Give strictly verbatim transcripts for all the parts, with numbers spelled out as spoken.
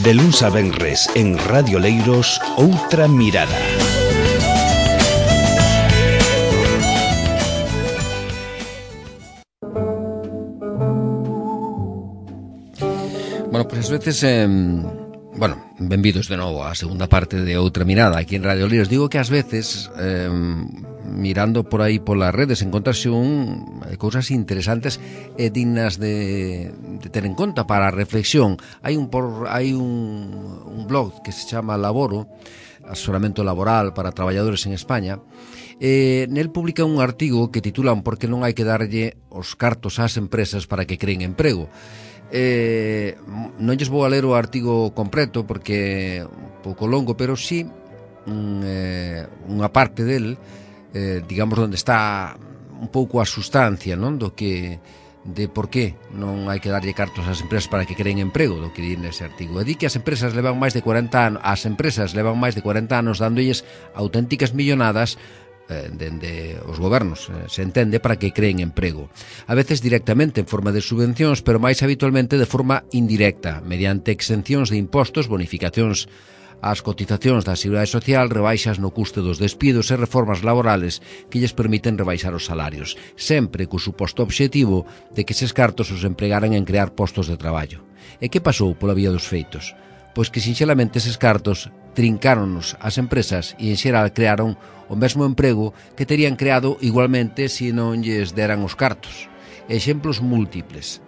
De luns a venres en Radio Leiros, Outra Mirada. Bueno, pois pues, ás veces, eh, bueno, benvidos de novo á segunda parte de Outra Mirada aquí en Radio Leiros. Digo que ás veces, eh, mirando por aí polas redes, encontrase un cousas interesantes e dignas de, de ter en conta para a reflexión. Hai un por hai un, un blog que se chama Laboro, asesoramento laboral para traballadores en España. Eh, nel publica un artigo que titulan "Por que non hai que darlle os cartos ás empresas para que creen emprego?". Eh, non lles vou a ler o artigo completo porque é un pouco longo, pero sí un, eh, unha parte del, eh, digamos, onde está un pouco a sustancia, non, do que de por qué non hai que darlle cartos ás empresas para que creen emprego, do que di nese artigo. E di que as empresas levan máis de cuarenta anos, as empresas levan máis de cuarenta anos dándolles auténticas millonadas dende os gobernos, se entende, para que creen emprego. A veces directamente en forma de subvencións, pero máis habitualmente de forma indirecta, mediante exencións de impostos, bonificacións ás cotizacións da Seguridade Social, rebaixas no custe dos despidos e reformas laborales que lles permiten rebaixar os salarios, sempre co suposto obxectivo de que eses cartos os empregaran en crear postos de traballo. E que pasou pola vía dos feitos? Pois que sinxelamente eses cartos trincáronnos as empresas e en xeral crearon o mesmo emprego que terían creado igualmente se non lles deran os cartos. Exemplos múltiples.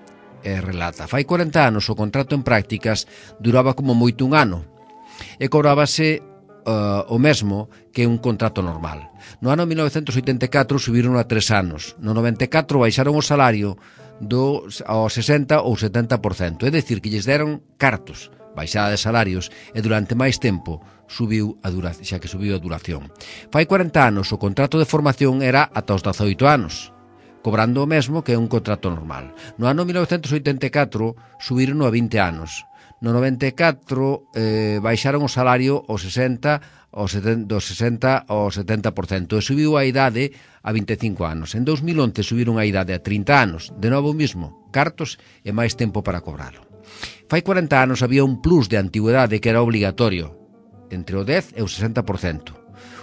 E relata, fai cuarenta anos o contrato en prácticas duraba como moito un ano e cobrábase uh, o mesmo que un contrato normal. No ano mil novecentos oitenta e catro subiron a tres anos. No noventa e catro baixaron o salario do, ao sesenta ou setenta por cento, é dicir, que lles deron cartos, baixada de salarios, e durante máis tempo subiu a duración, xa que subiu a duración. Fai cuarenta anos o contrato de formación era ata os dezaoito anos, cobrando o mesmo que un contrato normal. No ano mil novecentos oitenta e catro subiron a vinte anos. No noventa e catro eh, baixaron o salario ao sesenta, ao setenta, do sesenta ao setenta por cento e subiu a idade a vinte e cinco anos. En dos mil once subiron a idade a trinta anos, de novo mismo, cartos e máis tempo para cobralo. Fai cuarenta anos había un plus de antigüedade que era obligatorio, entre o dez e o sesenta por cento.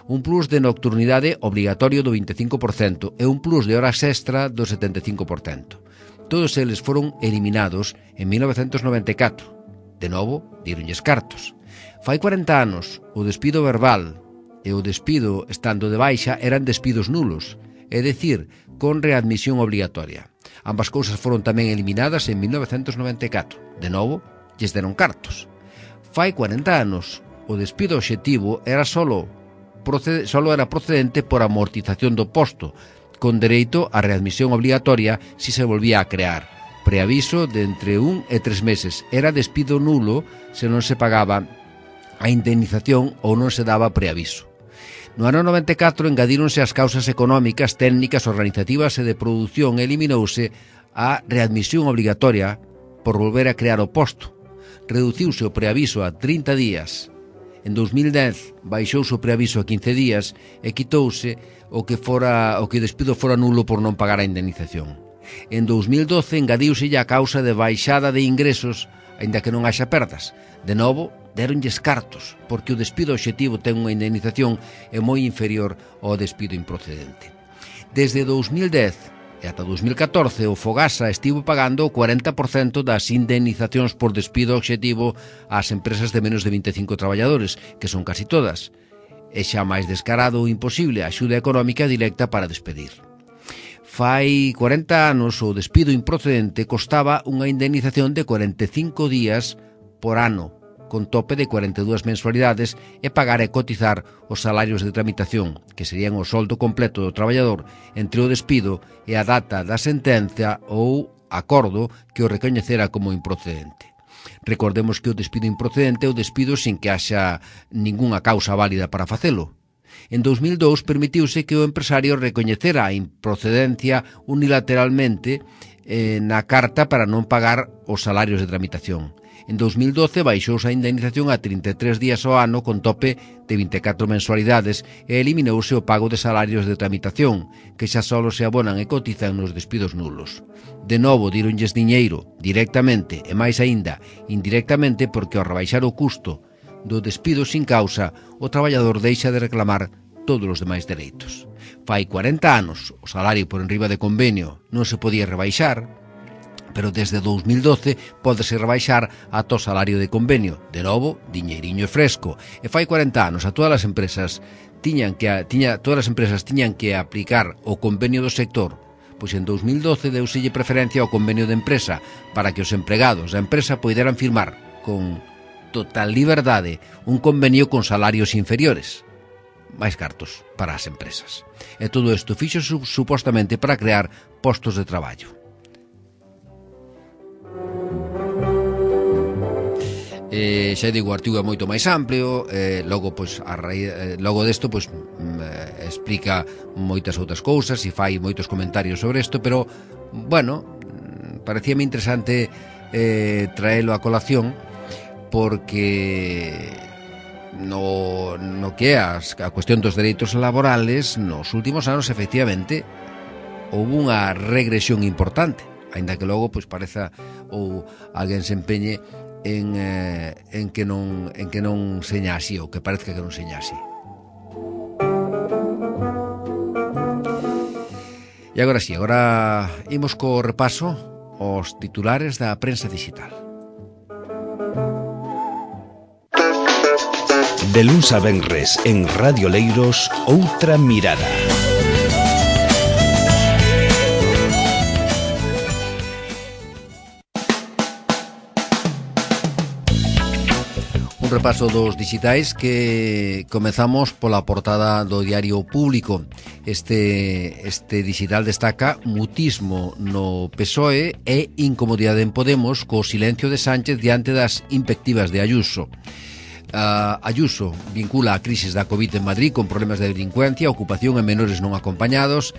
Un plus de nocturnidade obligatorio do vinte e cinco por cento e un plus de horas extra do setenta e cinco por cento. Todos eles foron eliminados en mil novecentos noventa e catro. De novo, díronlles cartos. Fai cuarenta anos, o despido verbal e o despido estando de baixa eran despidos nulos, é dicir, con readmisión obligatoria. Ambas cousas foron tamén eliminadas en mil novecentos noventa e catro. De novo, lles deron cartos. Fai cuarenta anos, o despido obxectivo era solo, proced, solo era procedente por amortización do posto, con dereito a readmisión obligatoria si se volvía a crear. Preaviso de entre un e tres meses. Era despido nulo se non se pagaba a indemnización ou non se daba preaviso. No ano noventa e catro engadíronse as causas económicas, técnicas, organizativas e de produción e eliminouse a readmisión obligatoria por volver a crear o posto. Reduciuse o preaviso a trinta días. En dos mil dez baixouse o preaviso a quince días e quitouse o que fora o que o despido fora nulo por non pagar a indemnización. En dos mil doce engadiuse a causa de baixada de ingresos, aínda que non haxa perdas. De novo, deronlles cartos, porque o despido obxectivo ten unha indemnización e moi inferior ao despido improcedente. Desde dos mil dez e ata dos mil catorce, o Fogasa estivo pagando o cuarenta por cento das indemnizacións por despido obxectivo ás empresas de menos de vinte e cinco traballadores, que son casi todas. É xa máis descarado ou imposible a axuda económica directa para despedir. Fai cuarenta anos o despido improcedente costaba unha indemnización de cuarenta e cinco días por ano, con tope de cuarenta e dúas mensualidades e pagar e cotizar os salarios de tramitación, que serían o soldo completo do traballador entre o despido e a data da sentencia ou acordo que o recoñecera como improcedente. Recordemos que o despido improcedente é o despido sin que haxa ningunha causa válida para facelo. En dos mil dous permitiuse que o empresario recoñecera a improcedencia unilateralmente eh, na carta para non pagar os salarios de tramitación. En dous mil doce baixouse a indemnización a trinta e tres días ao ano con tope de vinte e catro mensualidades e eliminouse o pago de salarios de tramitación, que xa solo se abonan e cotizan nos despidos nulos. De novo, díronlles diñeiro, directamente, e máis aínda, indirectamente, porque ao rebaixar o custo do despido sin causa, o traballador deixa de reclamar todos os demais dereitos. Fai cuarenta anos, o salario por enriba de convenio non se podía rebaixar, pero desde dous mil doce pódese rebaixar ata o salario de convenio. De novo, diñeiriño fresco. E fai cuarenta anos a todas as empresas tiñan que tiña todas as empresas tiñan que aplicar o convenio do sector. Pois en dous mil doce deuselle preferencia ao convenio de empresa para que os empregados da empresa poideran firmar con total liberdade un convenio con salarios inferiores, máis cartos para as empresas. E todo isto fixo supostamente para crear postos de traballo. Eh, xa digo, o artigo é moito máis amplio, eh, logo pois a raíz, eh, logo desto pois eh, explica moitas outras cousas e fai moitos comentarios sobre isto, pero bueno, parecíame interesante eh, traelo a colación porque no, no que é a cuestión dos dereitos laborales nos últimos anos efectivamente houve unha regresión importante, aínda que logo pois pareza ou alguén se empeñe En, eh, en que non en que non seña así ou que parezca que non seña así. E agora sí, agora imos co repaso aos titulares da prensa digital. De luns a venres en Radio Leiros, Outra Mirada. Un repaso dos digitais que comezamos pola portada do Diario Público. Este, este digital destaca mutismo no P S O E e incomodidade en Podemos co silencio de Sánchez diante das invectivas de Ayuso. Uh, Ayuso vincula a crisis da COVID en Madrid con problemas de delincuencia, ocupación e menores non acompañados.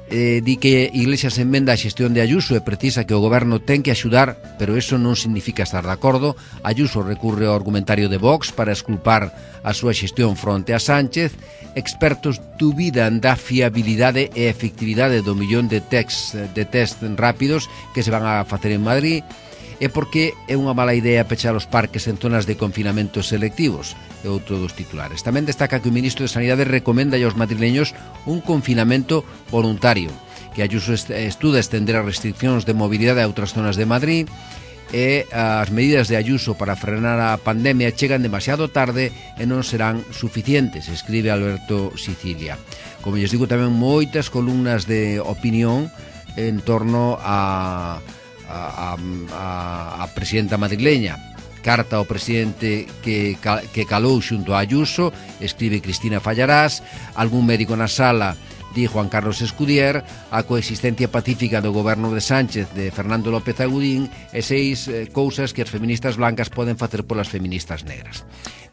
Eh, di que Iglesias enmenda a xestión de Ayuso e precisa que o goberno ten que axudar, pero eso non significa estar de acordo. Ayuso recurre ao argumentario de Vox para esculpar a súa xestión fronte a Sánchez. Expertos dubidan da fiabilidade e efectividade do millón de tests de test rápidos que se van a facer en Madrid. E porque é unha mala idea pechar os parques en zonas de confinamento selectivos, é outro dos titulares. Tamén destaca que o ministro de Sanidade recomenda aos madrileños un confinamento voluntario, que Ayuso estuda estender as restriccións de mobilidade a outras zonas de Madrid, e as medidas de Ayuso para frenar a pandemia chegan demasiado tarde e non serán suficientes, escribe Alberto Sicilia. Como lles digo, tamén moitas columnas de opinión en torno a A, a, a presidenta madrileña. Carta ao presidente que, que calou xunto a Ayuso, escribe Cristina Fallarás. Algún médico na sala, di Juan Carlos Escudier. A coexistencia pacífica do goberno de Sánchez, de Fernando López Agudín. E seis eh, cousas que as feministas blancas poden facer polas feministas negras.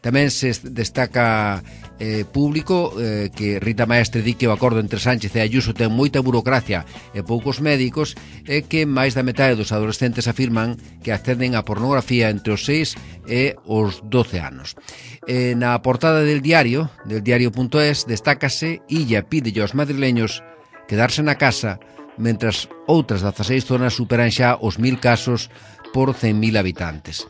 Tamén se destaca eh, Público eh, que Rita Maestre di que o acordo entre Sánchez e Ayuso ten moita burocracia e poucos médicos, e que máis da metade dos adolescentes afirman que acceden a pornografía entre os seis e os doce anos. Eh, na portada del diario, del diario.es, destácase Illa pide aos madrileños quedarse na casa, mentras outras dezaseis zonas superan xa os mil casos por cen mil habitantes.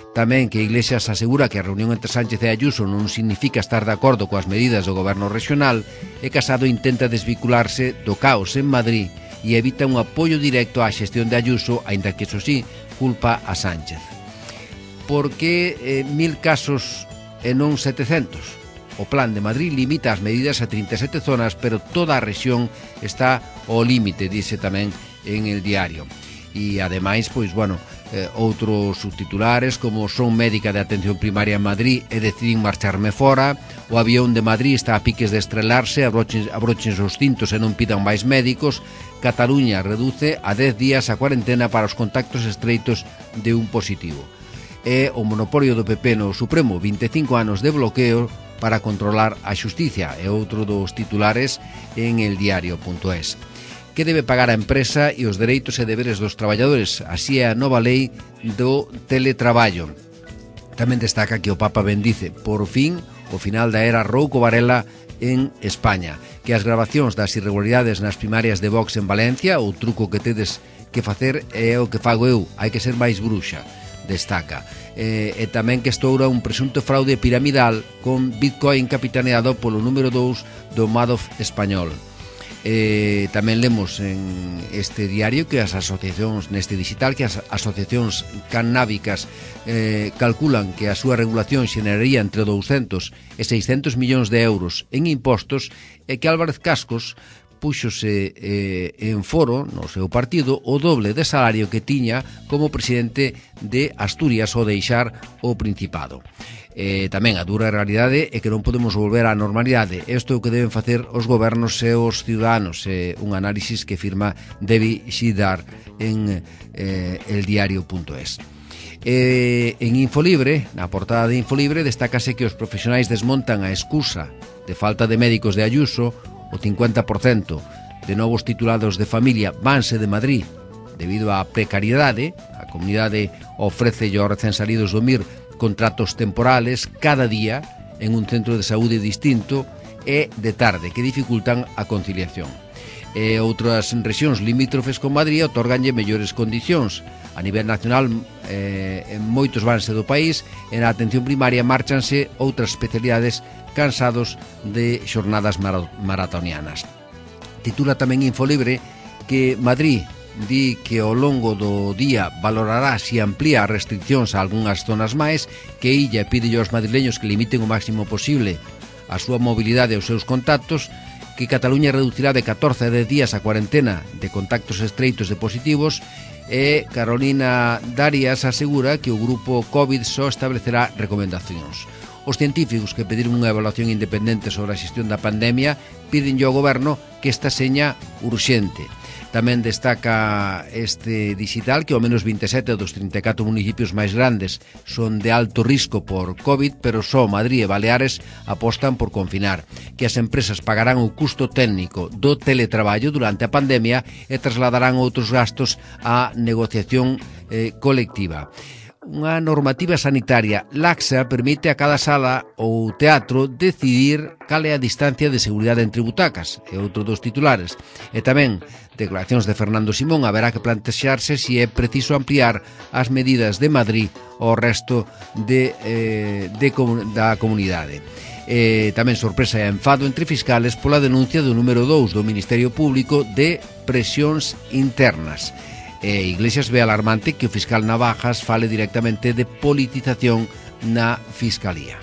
Tamén que Iglesias asegura que a reunión entre Sánchez e Ayuso non significa estar de acordo coas medidas do goberno regional, e Casado intenta desvincularse do caos en Madrid e evita un apoio directo á xestión de Ayuso, aínda que, eso sí, culpa a Sánchez. Por que eh, mil casos e non setecentos? O plan de Madrid limita as medidas a trinta e sete zonas, pero toda a rexión está ao límite, dice tamén en el diario. E ademais, pois, bueno, eh, outros subtitulares como son médica de atención primaria en Madrid e decidín marcharme fora, o avión de Madrid está a piques de estrelarse, abrochen, abrochen os cintos e non pidan máis médicos. Cataluña reduce a dez días a cuarentena para os contactos estreitos de un positivo. E o monopolio do P P no Supremo, vinte e cinco anos de bloqueo para controlar a xusticia, é outro dos titulares en el diario.es. que debe pagar a empresa e os dereitos e deberes dos traballadores. Así é a nova lei do teletraballo. Tamén destaca que o Papa bendice, por fin, o final da era Rouco Varela en España, que as grabacións das irregularidades nas primarias de Vox en Valencia, o truco que tedes que facer é o que fago eu, hai que ser máis bruxa, destaca. E, e tamén que estoura un presunto fraude piramidal con Bitcoin capitaneado polo número dous do Madoff español. E, tamén lemos en este diario que as asociacións, neste digital, que as asociacións cannábicas eh, calculan que a súa regulación xeneraría entre douscentos e seiscentos millóns de euros en impostos e que Álvarez Cascos púxose eh, en foro no seu partido o doble de salario que tiña como presidente de Asturias ao deixar o Principado. Eh, tamén a dura realidade é que non podemos volver á normalidade. Isto é o que deben facer os gobernos e os ciudadanos. Eh, un análisis que firma Devi Shidar en eh, eldiario punto es. Eh, en Infolibre, na portada de Infolibre, destácase que os profesionais desmontan a excusa de falta de médicos de Ayuso. O cincuenta por cento de novos titulados de familia vanse de Madrid debido á precariedade. A comunidade ofrece aos recén salidos do M I R contratos temporales cada día en un centro de saúde distinto e de tarde que dificultan a conciliación. E outras rexións limítrofes con Madrid otorganlle mellores condicións. A nivel nacional, eh, en moitos vanse do país, en a atención primaria márchanse outras especialidades cansados de xornadas maratonianas. Titula tamén Infolibre que Madrid di que ao longo do día valorará se amplía as restriccións a algunhas zonas máis, que Illa pide aos madrileños que limiten o máximo posible a súa mobilidade e os seus contactos, que Cataluña reducirá de catorce a dez días a cuarentena de contactos estreitos de positivos, e Carolina Darias asegura que o grupo COVID só establecerá recomendacións. Os científicos que pediron unha evaluación independente sobre a xestión da pandemia piden ao goberno que esta seña urxente. Tamén destaca este digital que ao menos vinte e sete dos trinta e catro municipios máis grandes son de alto risco por COVID, pero só Madrid e Baleares apostan por confinar, que as empresas pagarán o custo técnico do teletraballo durante a pandemia e trasladarán outros gastos á negociación eh, colectiva. Unha normativa sanitaria laxa permite a cada sala ou teatro decidir cal é a distancia de seguridade entre butacas, é outro dos titulares. E tamén, declaracións de Fernando Simón, haberá que plantexarse se é preciso ampliar as medidas de Madrid ao resto de, eh, de, da comunidade. Eh, tamén sorpresa e enfado entre fiscales pola denuncia do número dous do Ministerio Público de presións internas. E Iglesias ve alarmante que o fiscal Navajas fale directamente de politización na Fiscalía.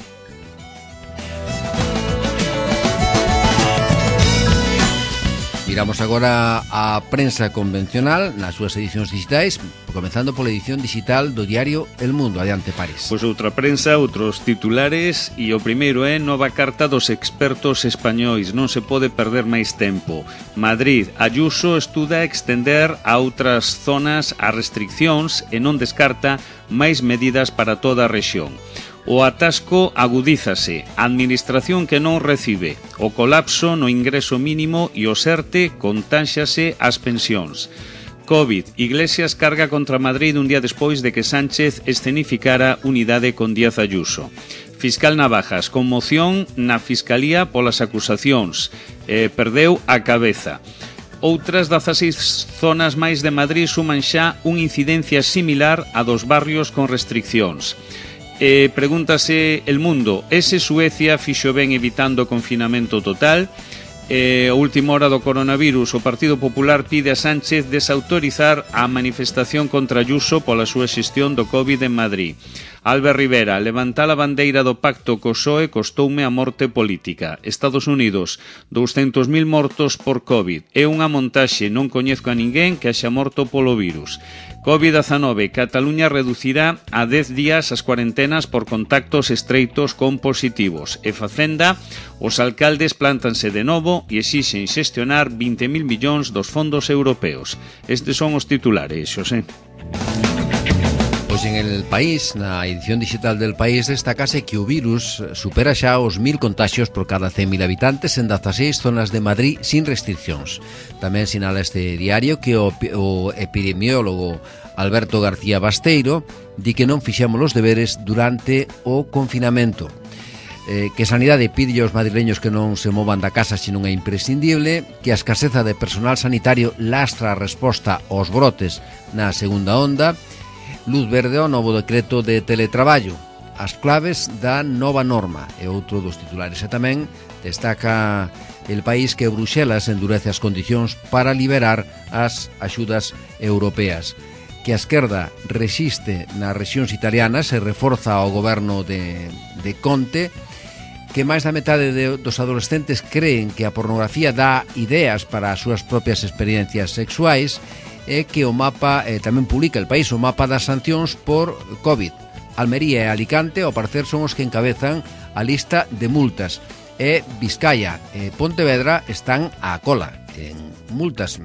Miramos agora a prensa convencional nas súas edicións digitais, comenzando pola edición digital do diario El Mundo. Adiante, Paris. Pois outra prensa, outros titulares, e o primeiro é nova carta dos expertos españois. Non se pode perder máis tempo. Madrid, Ayuso estuda extender a outras zonas as restriccións e non descarta máis medidas para toda a rexión. O atasco agudízase, a administración que non recibe, o colapso no ingreso mínimo e o SERTE contáxase as pensións. COVID, Iglesias carga contra Madrid un día despois de que Sánchez escenificara unidade con Díaz Ayuso. Fiscal Navajas, conmoción na Fiscalía polas acusacións, eh, perdeu a cabeza. Outras dezaseis zonas máis de Madrid suman xa unha incidencia similar a dos barrios con restriccións. Eh, pregúntase El Mundo, ese Suecia fixo ben evitando o confinamento total? Eh, a última hora do coronavirus, o Partido Popular pide a Sánchez desautorizar a manifestación contra Ayuso pola súa xestión do COVID en Madrid. Albert Rivera, levantar a bandeira do pacto co P S O E costoume a morte política. Estados Unidos, douscentos mil mortos por COVID. É unha montaxe, non coñezco a ninguén que haxa morto polo virus. COVID dezanove, Cataluña reducirá a dez días as cuarentenas por contactos estreitos con positivos. E Facenda, os alcaldes plántanse de novo e exixen xestionar vinte mil millóns dos fondos europeos. Estes son os titulares, Xosé. Pois en El País, na edición digital del País, destacase que o virus supera xa os mil contagios por cada cen mil habitantes en dezaseis zonas de Madrid sin restriccións. Tamén sinala este diario que o, o epidemiólogo Alberto García Basteiro di que non fixemos os deberes durante o confinamento. Eh, que Sanidade pide aos madrileños que non se movan da casa se non é imprescindible, que a escaseza de personal sanitario lastra a resposta aos brotes na segunda onda, luz verde ao novo decreto de teletraballo, as claves da nova norma é outro dos titulares. E tamén destaca El País que Bruxelas endurece as condicións para liberar as axudas europeas, que a esquerda resiste nas rexións italianas e reforza o goberno de, de Conte, que máis da metade de, dos adolescentes creen que a pornografía dá ideas para as súas propias experiencias sexuais, e que o mapa, eh, tamén publica El País o mapa das sancións por COVID. Almería e Alicante, ao parecer, son os que encabezan a lista de multas, e Vizcaya e Pontevedra están á cola en multas.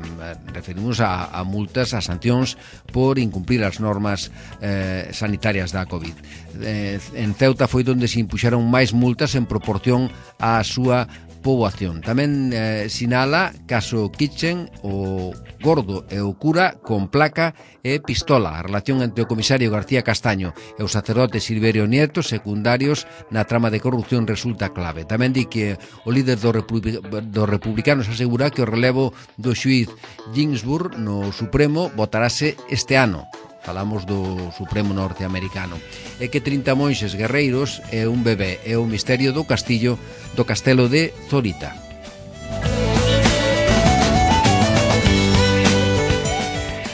Referimos a, a multas, a sancións por incumprir as normas eh, sanitarias da COVID. Eh, en Ceuta foi onde se impuxeron máis multas en proporción á súa poboación. Tamén eh, sinala caso Kitchen, o gordo e o cura con placa e pistola, a relación entre o comisario García Castaño e o sacerdote Silverio Nieto, secundarios na trama de corrupción, resulta clave. Tamén di que o líder dos republic do republicanos asegura que o relevo do xuíz Ginsburg no Supremo votarase este ano. Falamos do Supremo norteamericano. E que trinta monxes guerreiros e un bebé é o misterio do castillo do castelo de Zorita.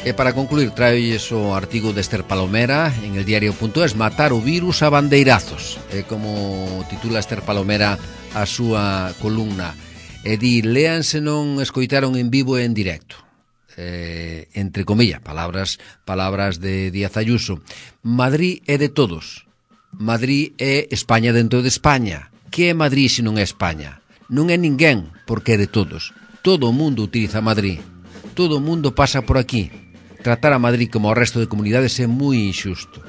E para concluir, traolles o artigo de Esther Palomera en el diario punto es, matar o virus a bandeirazos. É como titula Esther Palomera a súa columna. E di, lean se non escoitaron en vivo e en directo. Eh, entre comillas, palabras palabras de Díaz Ayuso. Madrid é de todos. Madrid é España dentro de España. Que é Madrid se non é España? Non é ninguén, porque é de todos. Todo o mundo utiliza Madrid. Todo o mundo pasa por aquí. Tratar a Madrid como o resto de comunidades é moi injusto.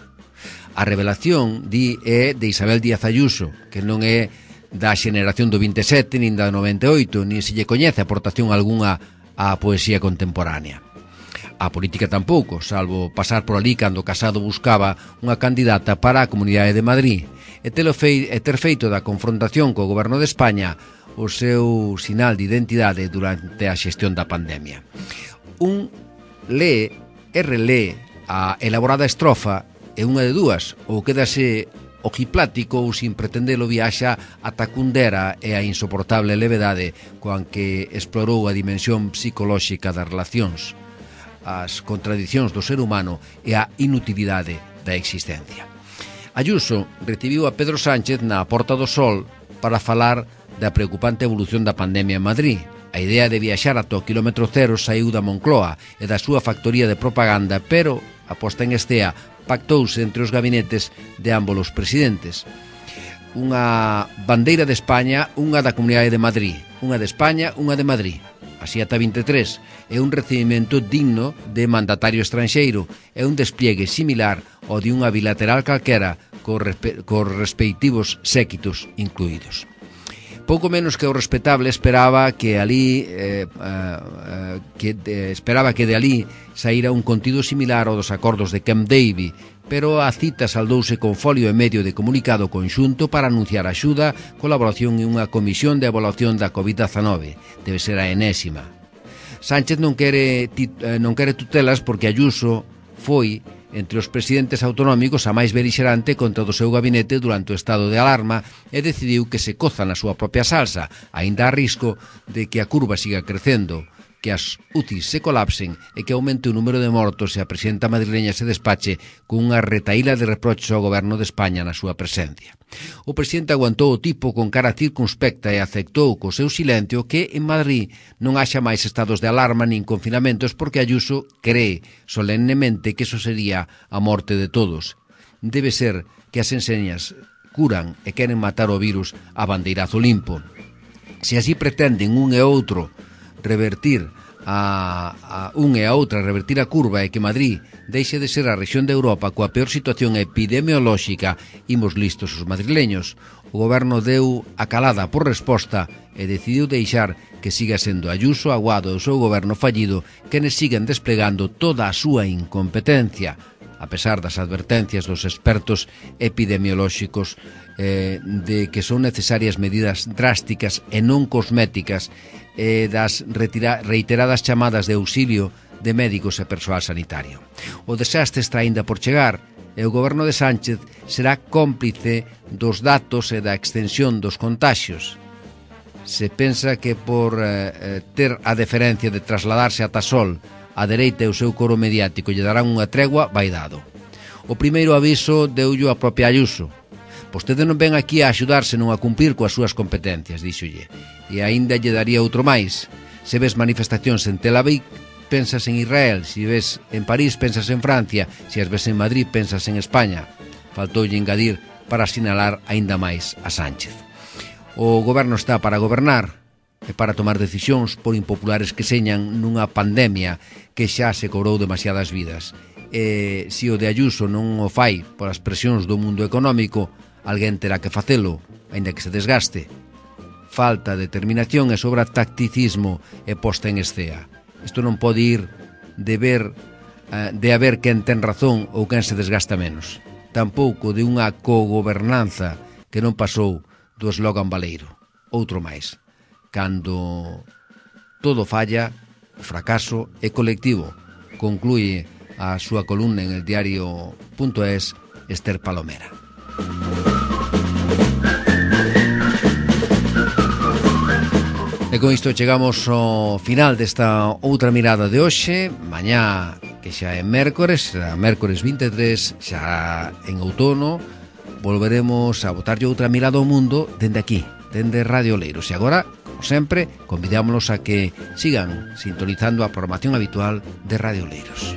A revelación, di, é de Isabel Díaz Ayuso, que non é da xeneración do vinte e sete, nin da noventa e oito, nin se lle coñece aportación algunha a poesía contemporánea. A política tampouco, salvo pasar por ali cando Casado buscaba unha candidata para a Comunidade de Madrid e ter feito da confrontación co goberno de España o seu sinal de identidade durante a xestión da pandemia. Un lee e relee a elaborada estrofa e unha de dúas, ou quedase ojiplático ou sin pretendelo viaxa ata Kundera e a insoportable levedade coan que explorou a dimensión psicolóxica das relacións, as contradicións do ser humano e a inutilidade da existencia. Ayuso recibiu a Pedro Sánchez na Porta do Sol para falar da preocupante evolución da pandemia en Madrid. A idea de viaxar ata o quilómetro cero saiu da Moncloa e da súa factoría de propaganda, pero, a posta en estea, pactouse entre os gabinetes de ambos os presidentes. Unha bandeira de España, unha da Comunidade de Madrid, unha de España, unha de Madrid. Así ata vinte e tres, é un recibimento digno de mandatario estranxeiro, é un despliegue similar ao de unha bilateral calquera cos, respe cos respectivos séquitos incluídos. Pouco menos que o respetable esperaba que ali eh, eh, que eh, esperaba que de ali saíra un contido similar ao dos acordos de Camp David, pero a cita saldouse con folio e medio de comunicado conxunto para anunciar axuda, colaboración e unha comisión de evaluación da COVID diecinueve. Debe ser a enésima. Sánchez non quere, non quere tutelas porque Ayuso foi entre os presidentes autonómicos a máis belixerante contra o do seu gabinete durante o estado de alarma e decidiu que se coza na súa propia salsa, aínda a risco de que a curva siga crecendo, que as U C Is se colapsen e que aumente o número de mortos e a presidenta madrileña se despache con unha retaíla de reproches ao goberno de España na súa presencia. O presidente aguantou o tipo con cara circunspecta e aceptou co seu silencio que en Madrid non haxa máis estados de alarma nin confinamentos porque Ayuso cree solemnemente que eso sería a morte de todos. Debe ser que as enseñas curan e queren matar o virus a bandeirazo limpo. Se así pretenden un e outro revertir a, a un e a outra revertir a curva e que Madrid deixe de ser a rexión de Europa coa peor situación epidemiolóxica, imos listos os madrileños. O goberno deu a calada por resposta e decidiu deixar que siga sendo Ayuso, Aguado e o seu goberno fallido quenes siguen desplegando toda a súa incompetencia, a pesar das advertencias dos expertos epidemiolóxicos eh, de que son necesarias medidas drásticas e non cosméticas e das retira, reiteradas chamadas de auxilio de médicos e persoal sanitario. O desastre está aínda por chegar e o goberno de Sánchez será cómplice dos datos e da extensión dos contaxios. Se pensa que por eh, ter a deferencia de trasladarse a Tasol, a dereita e o seu coro mediático lle darán unha tregua, vai dado. O primeiro aviso deullo a propia Ayuso. Vostede non ven aquí a axudarse non a cumprir coas súas competencias, díxolle. E aínda lle daría outro máis. Se ves manifestacións en Tel Aviv, pensas en Israel. Se ves en París, pensas en Francia. Se as ves en Madrid, pensas en España. Faltoulle engadir para sinalar aínda máis a Sánchez. O goberno está para gobernar e para tomar decisións por impopulares que señan nunha pandemia que xa se cobrou demasiadas vidas. E se o de Ayuso non o fai por as presións do mundo económico, alguén terá que facelo, aínda que se desgaste. Falta determinación e sobra tacticismo e posta en escea. Isto non pode ir de ver de haber quen ten razón ou quen se desgasta menos. Tampouco de unha cogobernanza que non pasou do eslogan baleiro. Outro máis. Cando todo falla, o fracaso é colectivo, conclúe a súa columna en el diario punto es Esther Palomera. E con isto chegamos ao final desta outra mirada de hoxe. Mañá, que xa é mércores, será mércores vinte e tres, xa en outono, volveremos a botarlle outra mirada ao mundo dende aquí, dende Radio Oleiros. E agora, como sempre, convidámonos a que sigan sintonizando a programación habitual de Radio Oleiros.